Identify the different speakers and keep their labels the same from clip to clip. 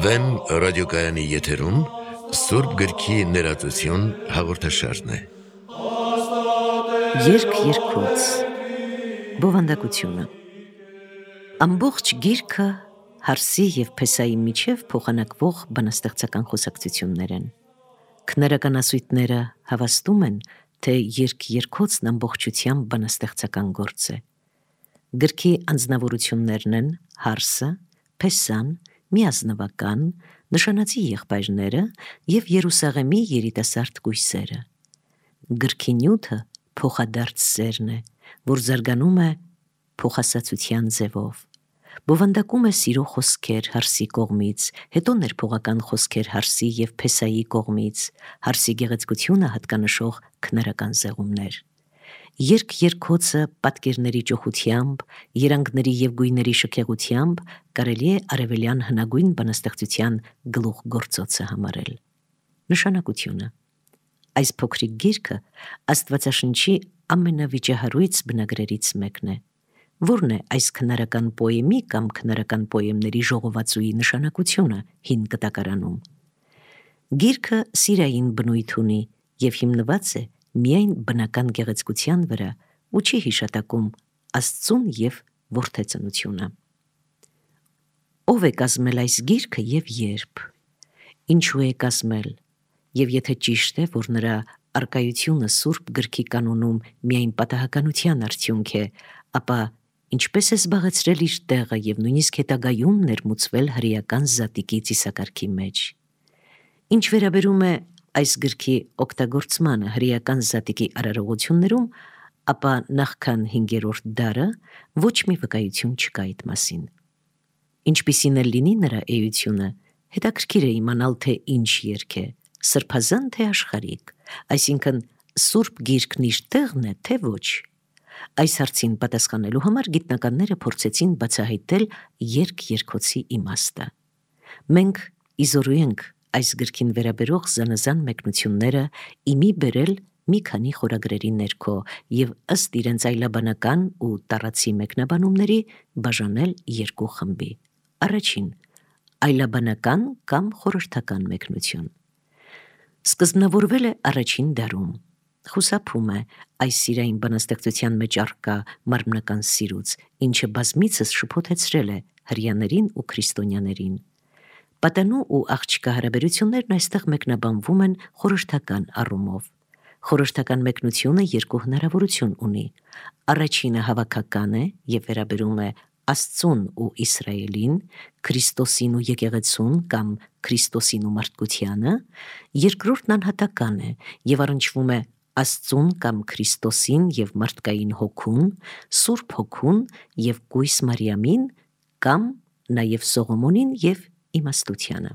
Speaker 1: Վեմ ռադիոկայանի եթերում Սուրբ գրքի ներածություն հաղորդաշարն է։
Speaker 2: Երկ երկոց Բովանդակությունը Ամբողջ գիրքը Հարսի և Փեսայի միջև փոխանակվող բանաստեղծական խոսակցություններ են։ Քնարական հավաստում են, թե երկ երկոցն ամբողջությամբ բանաստեղծական գործ է։ Գրքի անձնավորություններն են Հարսը, Փեսան, միազնվական, նշանածի եղբայրները և Երուսաղեմի երիտասարդ կույսերը։ Գրքի նյութը փոխադարձ սերն է, որ զարգանում է փոխասացության ձևով։ Բովանդակում է սիրո խոսքեր Հարսի կողմից, հետո ներփողական խոսքեր Հարսի և Փեսայի կողմից, Հարսի գեղեցկությունը հատկանշող քնարական զեղումներ։ Երկ երկոցը պատկերների ճոխությամբ, երանգների և գույների շքեղությամբ կարելի է արևելյան հնագույն բանաստեղծության գլուխգործոցը համարել։ Նշանակությունը այս փոքրիկ գիրքը Աստվածաշնչի ամենավիճահարույց բնագրերից մեկն է։ Որն է այս քնարական պոեմի կամ քնարական պոեմների ժողովածուի նշանակությունը հին կտակարանում։ Գիրքը սիրային բնույթ ունի և հիմնված է միայն բնական գեղեցկության վրա ու չի հիշատակում Աստծուն և որդեծնությունը։ Ո՞վ է կազմել այս գիրքը և երբ։ Ինչու է կազմել, և եթե ճիշտ է, որ նրա առկայությունը Սուրբ գրքի կանոնում միայն պատահականության արդյունք է, ապա ինչպես է զբաղեցրել իր տեղը և նույնիսկ հետագայում ներմուծվել հրեական զատիկի ծիսակարգի մեջ։ Ինչ վերաբերում է այս գրքի օգտագործմանը հրեական զատիկի արարողություններում, ապա նախքան 5-րդ դարը ոչ մի վկայություն չկա այդ մասին։ Ինչպիսին էլ լինի նրա էությունը, հետաքրքիր է իմանալ, թե ինչ երգ է, սրբազան թե աշխարհիկ, այսինքն Սուրբ գիրքն իր տեղն է, թե ոչ։ Այս հարցին պատասխանելու համար գիտնականները փորձեցին բացահայտել երկ երկոցի իմաստը։ Մենք իզորու ենք այս գրքին վերաբերող զանազան մեկնությունները իմի բերել մի քանի խորագրերի ներքո և ըստ իրենց այլաբանական ու տառացի մեկնաբանումների բաժանել երկու խմբի։ Առաջին՝ այլաբանական կամ խորհրդական մեկնություն։ Սկզբնավորվել է առաջին դարում։ Խուսափում է այս սիրային բանաստեղծության մեջ առկա մարմնական սիրուց, ինչը բազմիցս շփոթեցրել է հրեաներին ու քրիստոնյաներին։ Պատանու ու աղջկա հարաբերություններն այստեղ մեկնաբանվում են խորհրդական առումով։ Խորհրդական մեկնությունը երկու հնարավորություն ունի։ Առաջինը հավաքական է և վերաբերում է Աստծուն ու Իսրայելին, Քրիստոսին ու եկեղեցուն կամ Քրիստոսին ու մարդկությանը, երկրորդն անհատական է և առնչվում է Աստծուն կամ Քրիստոսին և մարդկային հոգուն, Սուրբ Հոգուն և կույս Մարիամին կամ նաև Սողոմոնին և իմաստությանը։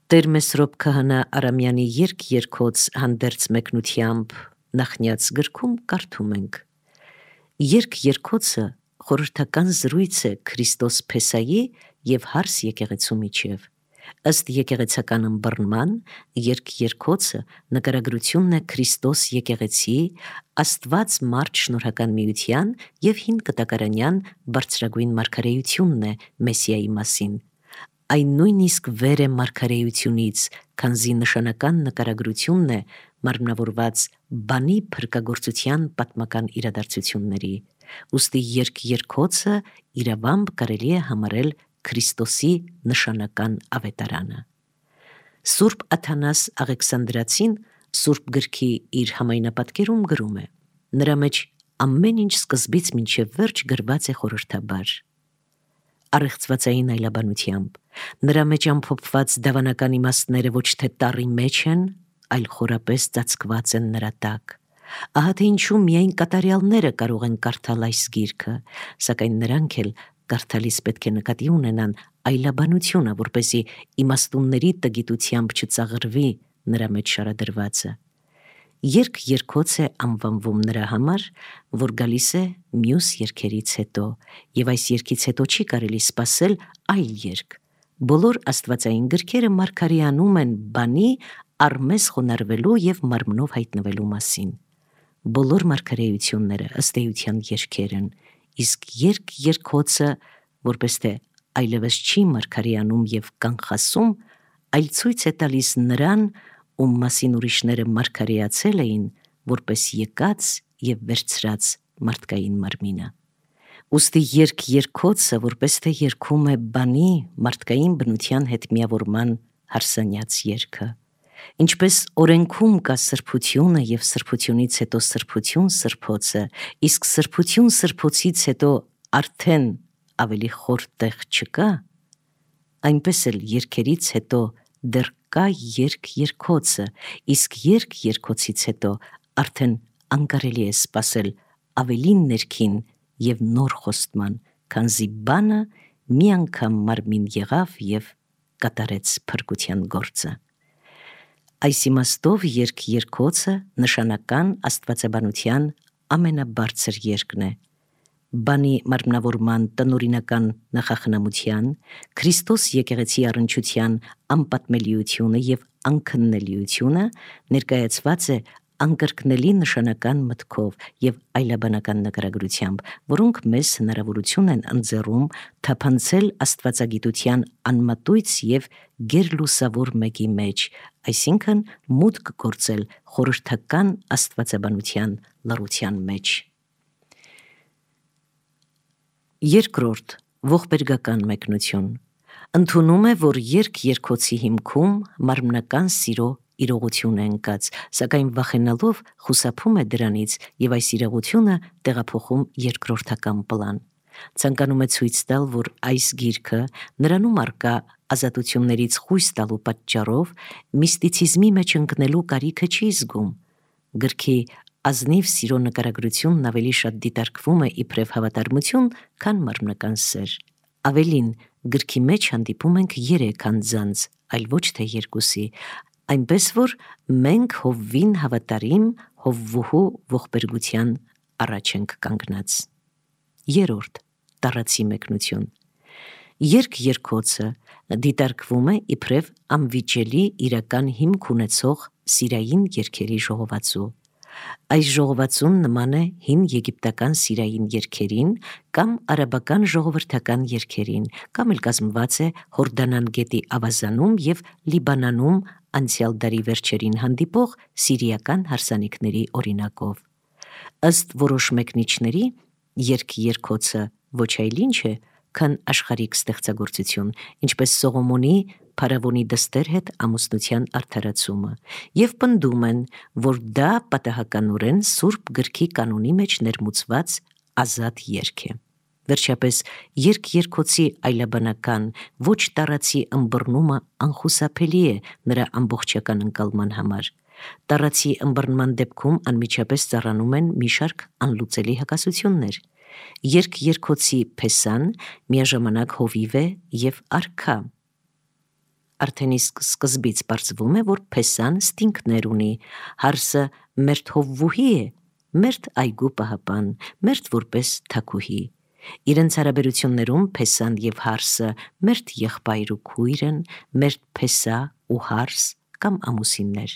Speaker 2: Տեր Մեսրոպ Քահանա Արամյանի երկ երկոց հանդերձ մեկնությամբ նախնյաց գրքում կարդում ենք. Երկ երկոցը խորհրդական զրույց է Քրիստոս Փեսայի և Հարս եկեղեցու միջև։ Ըստ եկեղեցական ըմբռնման, երկ երկոցը նկարագրությունն է Քրիստոս եկեղեցի, Աստված մարդ շնորհական միության և հին կտակարանյան բարձրագույն մարգարեությունն է Մեսիայի մասին։ Այն նույնիսկ վեր է մարգարեությունից, քանզի նշանական նկարագրությունն է մարմնավորված բանի փրկագործության պատմական իրադարձությունների։ Ուստի երկ երկոցը իրավամբ կարելի է համարել Քրիստոսի նշանական ավետարանը։ Սուրբ Աթանաս Աղեքսանդրացին Սուրբ գրքի իր համայնապատկերում գրում է. նրա մեջ ամեն ինչ սկզբից մինչև վերջ գրված է խորհրդաբար։ Առեղծվածային այլաբանությամբ նրա մեջ ամփոփված դավանական իմաստները ոչ թե տառի մեջ են, այլ խորապես ծածկված են նրա տակ։ Ահա թե ինչու միայն կատարյալները կարող են կարդալ այս գիրքը, սակայն նրանք էլ կարդալիս պետք է նկատի ունենան այլաբանությունը, որպեսզի իմաստունների տգիտությամբ չծաղրվի նրա մեջ շարադրվածը։ Երկ երկոց է անվանվում նրա համար, որ գալիս է մյուս երգերից հետո, և այս երգից հետո չի կարելի սպասել այլ երգ։ Բոլոր աստվածային գրքերը մարգարեանում են բանի առ մեզ խոնարհվելու և մարմնով հայտնվելու մասին։ բոլոր մարգարեությունները ըստ էության երգեր են, իսկ երգոցը, որպես թե այլևս չի մարգարեանում եւ կանխասում, այլ ցույց է տալիս նրան, ում մասին ուրիշները մարգարեացել էին, որպես եկած եւ վերցրած մարդկային մարմինը։ Ուստի երգոցը, որպես թե երգում է բանի մարդկային բնության հետ միավորման հարսանյաց երգը, ինչպես օրենքում կա սրբությունը եւ սրբությունից հետո սրբություն սրբոցը, իսկ սրբություն սրբոցից հետո արդեն ավելի խոր տեղ չկա, այնպես էլ երգերից հետո դեռ կա երգոցը, իսկ երգոցից հետո արդեն անկարելի է սպասել ավելի ներքին եւ նոր խոստման, քանզի բանը մի անգամ մարմին եղավ եւ կատարեց փրկության գործը։ Այս իմաստով երգոցը նշանական աստվածաբանության ամենաբարձր երգն է, բանի մարմնավորման տնօրինական նախախնամության, Քրիստոս եկեղեցի առնչության անպատմելիությունը եւ անքննելիությունը ներկայացված է անկրկնելի նշանական մտքով եւ այլաբանական նկարագրությամբ, որոնք մեզ հնարավորություն են ընձեռում թափանցել աստվածագիտության անմատույց եւ գերլուսավոր մեկի մեջ, այսինքն մուտք գործել խորհրդական աստվածաբանության լռության մեջ։ Երկրորդ ողբերգական մեկնություն ընդունում է, որ երգոցի հիմքում մարմնական սիրո իրողություն է ընկած, սակայն վախենալով խուսափում է դրանից եւ այս իրողությունը տեղափոխում երկրորդական պլան։ Ցանկանում է ցույց տալ, որ այս գիրքը նրանում առկա ազատություններից խույս տալու պատճառով միստիցիզմի մեջ ընկնելու կարիքը չի զգում։ Գրքի ազնիվ սիրո նկարագրությունն ավելի շատ դիտարկվում է իբրև հավատարմություն, քան մարմնական սեր։ Ավելին, գրքի մեջ հանդիպում ենք 3 անձանց, այլ ոչ թե 2-ի, այնպես որ մենք Հովվին հավատարիմ Հովվուհու ողբերգության առաջ ենք կանգնած։ Երրորդ տառացի մեկնություն երգոցը դիտարկվում է իբրև անվիճելի իրական հիմք ունեցող սիրային երգերի ժողովածու։ Այս ժողովածուն նման է հին եգիպտական սիրային երգերին կամ արաբական ժողովրդական երգերին, կամ էլ կազմված է Հորդանան գետի ավազանում եւ Լիբանանում անցյալ դարի վերջերին հանդիպող սիրիական հարսանիքների օրինակով։ Ըստ որոշ մեկնիչների երգոցը ոչ այլ ինչ է, քան աշխարհիկ ստեղծագործություն, ինչպես Սողոմոնի փարավոնի դստեր հետ ամուսնության արդարացումը, եւ պնդում են, որ դա պատահականորեն Սուրբ գրքի կանոնի մեջ ներմուծված ազատ երգ է։ Վերջապես երգոցի այլաբանական ոչ տառացի ըմբռնումը անխուսափելի է նրա ամբողջական ընկալման համար։ Տառացի ըմբռնման դեպքում անմիջապես ծառանում են մի շարք անլուծելի հակասություններ։ Երգոցի փեսան միաժամանակ հովիվ է եւ արքա։ Արդեն իսկ սկզբից պարզվում է, որ փեսան ստինքներ ունի, հարսը մերթ Հովվուհի է, մերթ այգու պահապան, մերթ որպես թագուհի։ Իրենց հարաբերություններում փեսան եւ հարսը մերթ եղբայր ու քույր են, մերթ փեսա ու հարս կամ ամուսիններ։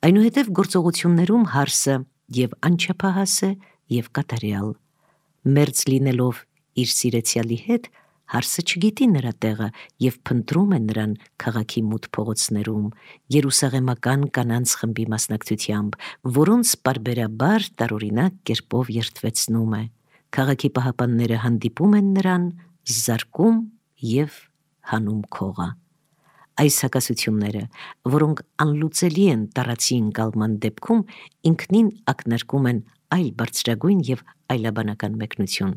Speaker 2: Այնուհետև գործողություններում հարսը եւ անչափահաս է եւ կատարյալ։ Մերձ լինելով իր սիրեցյալի հետ, հարսը չգիտի նրա տեղը եւ փնտրում է նրան քաղաքի մութ փողոցներում, երուսաղեմական կանանց խմբի մասնակցությամբ, որոնց պարբերաբար տարօրինակ կերպով երդվեցնում է։ Քաղաքի պահապանները հանդիպում են նրան, զարկում եւ հանում քողը։ Այս հակասությունները, որոնք անլուծելի են տառացի ընկալման դեպքում, ինքնին ակնարկում են այլ բարձրագույն եւ այլաբանական մեկնություն։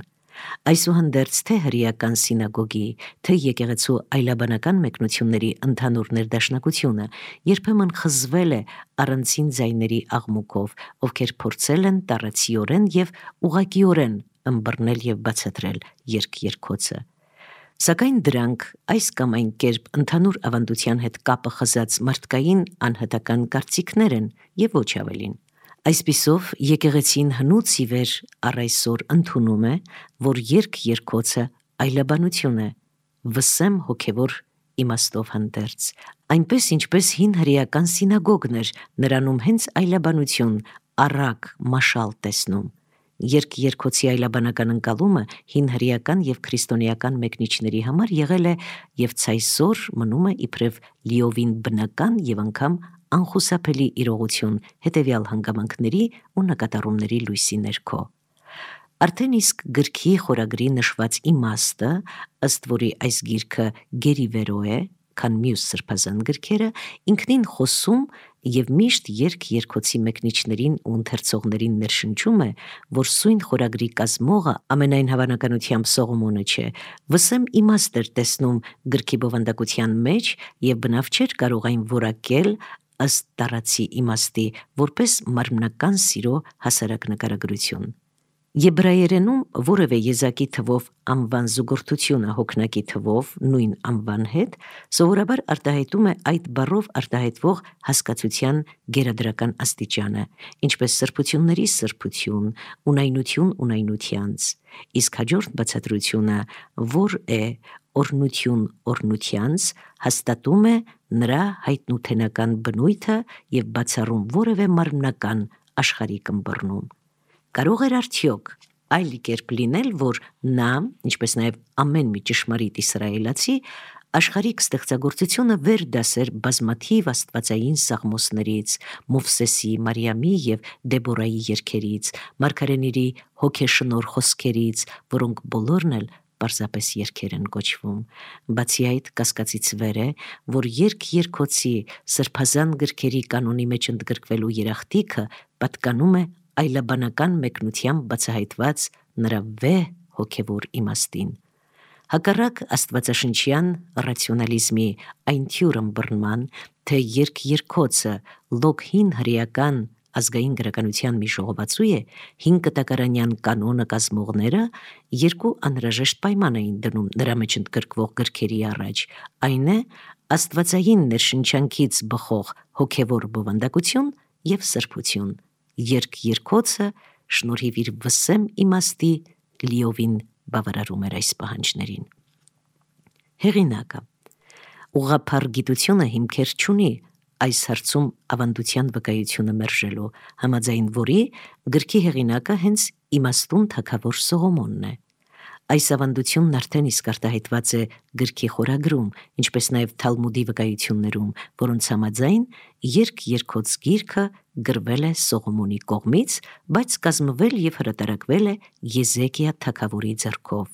Speaker 2: Այսուհանդերձ թե հրեական սինագոգի, թե եկեղեցու այլաբանական մեկնությունների ընդհանուր ներդաշնակությունը երբեմն խզվել է առանցին ձայների աղմուկով, ովքեր փորձել են տառացիորեն եւ ուղղակիորեն ըմբռնել եւ բացատրել երգոցը։ Սակայն դրանք այս կամ այն կերպ ընդհանուր ավանդության հետ կապը խզած մարդկային անհատական կարծիքներ են եւ ոչ ավելին։ Այսպիսով եկեղեցին հնուց ի վեր առ այսօր ընդունում է, որ երգոցը այլաբանություն է, վսեմ հոգևոր իմաստով հանդերձ, այնպես ինչպես հին հրեական սինագոգն էր, նրանում հենց այլաբանություն, առակ մաշալ տեսնում։ Երգ-երգոցի այլաբանական ընկալումը հին հրեական եւ քրիստոնեական մեկնիչների համար եղել է եւ ցայսօր մնում է իբրև լիովին բնական եւ անգամ անխուսափելի իրողություն հետեւյալ հանգամանքների ու նկատառումների լույսի ներքո։ Արդեն իսկ գրքի խորագրի նշված իմաստը, ըստ որի այս գիրքը գերիվերո է, քան մյուս սրբազան գրքերը, ինքնին խոսում եւ միշտ երգ-երգոցի մեկնիչներին ու ընթերցողներին ներշնչում է, որ սույն խորագրի կազմողը ամենայն հավանականությամբ Սողոմոնը չէ, վսեմ իմաստ էր տեսնում գրքի բովանդակության մեջ եւ բնավ չէր կարող այն որակել ըստ տարածի իմաստի, որպես մարմնական սիրո հասարակ նկարագրություն։ Եբրայերենում որևէ եզակի թվով անվան զուգորդությունը հոգնակի թվով նույն անվան հետ սովորաբար արտահայտում է այդ բառով արտահայտվող հասկացության գերադրական աստիճանը, ինչպես սրբությունների սրբություն, ունայնություն ունայնությանց, իսկ հաջորդ բացատրությունը, որ է օրնություն օրնությանց, հաստատում է նրա հայտնութենական բնույթը եւ բացառում որևէ մարմնական աշխարհիկ ըմբռնում։ Կարող էր արդյոք այլ կերպ լինել, որ նա, ինչպես նաև ամեն մի ճշմարիտ իսրայելացի, աշխարհիկ ստեղծագործությունը վեր դասեր բազմաթիվ աստվածային սաղմոսներից, Մովսեսի, Մարիամի եւ Դեբորայի երգերից, մարգարեների հոգեշնոր խոսքերից, որոնք բոլորն էլ պարզապես երգեր են կոչվում։ Բացի այդ, կասկածից վեր է, որ երգ-երգոցի սրբազան գրքերի կանոնի մեջ ընդգրկվելու երախտիկը պատկանում է այլաբանական մեկնությամբ բացահայտված նրա վեհ հոգևոր իմաստին։ Հակառակ աստվածաշնչյան ռացիոնալիզմի այն թյուր ըմբռնման, թե երգ-երգոցը լոկ հին հրեական ազգային գրականության մի ժողովածու է, հին կտակարանյան կանոնը կազմողները երկու անհրաժեշտ պայման էին դնում նրա մեջ ընդգրկվող գրքերի առաջ, այն է աստվածային ներշնչանքից բխող հոգևոր բովանդակություն եւ սրբություն։ Երգ-երգոցը շնորհիվ իր վսեմ իմաստի լիովին բավարարում էր այս պահանջներին։ Հեղինակը ուղղափառ գիտությունը հիմքեր չունի այս հարցում ավանդության վկայությունը մերժելու, համաձայն որի գրքի հեղինակը հենց իմաստուն թագավոր Սողոմոնն է։ Այս ավանդությունն արդեն իսկ արտահայտված է գրքի խորագրում, ինչպես նաև Թալմուդի վկայություններում, որոնց համաձայն երգ-երգոց գիրքը գրվել է Սողոմոնի կողմից, բայց կազմվել եւ հրատարակվել է Եզեկիա թագավորի ձեռքով։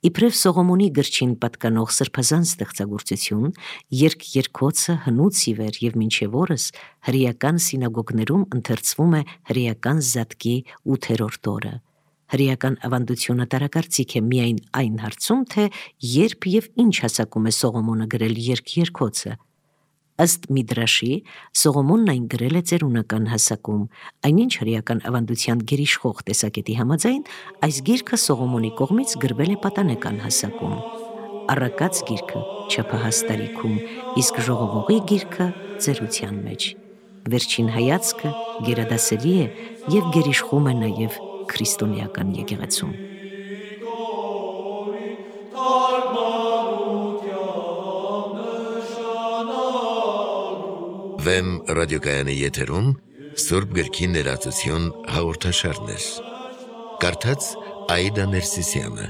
Speaker 2: Իբրև Սողոմոնի գրչին պատկանող սրբազան ստեղծագործություն, երգ-երգոցը հնուց ի վեր եւ մինչեւ օրս հրեական սինագոգներում ընթերցվում է հրեական զատկի 8-րդ օրը։ Հրեական ավանդությունը տարակարծիք է միայն այն հարցում, թե երբ եւ ինչ հասակում է Սողոմոնը գրել երգ-երգոցը։ Ըստ Միդրաշի, Սողոմոնն այն գրել է ծերունական հասակում, այնինչ հրեական ավանդության գերիշխող տեսակետի համաձայն այս գիրքը Սողոմոնի կողմից գրվել է պատանեկան հասակում։ Առակաց գիրքը չափահաս տարիքում, իսկ ժողովողի գիրքը ծերության մեջ։ Վերջին հայացքը գերադասելի է եւ գերիշխում է նաեւ քրիստոնեական եկեղեցում։
Speaker 1: Վեմ ռադիոկայանի եթերում Սուրբ գրքի ներածություն հաղորդաշարներ։ Կարդաց Աիդա Ներսիսյանը։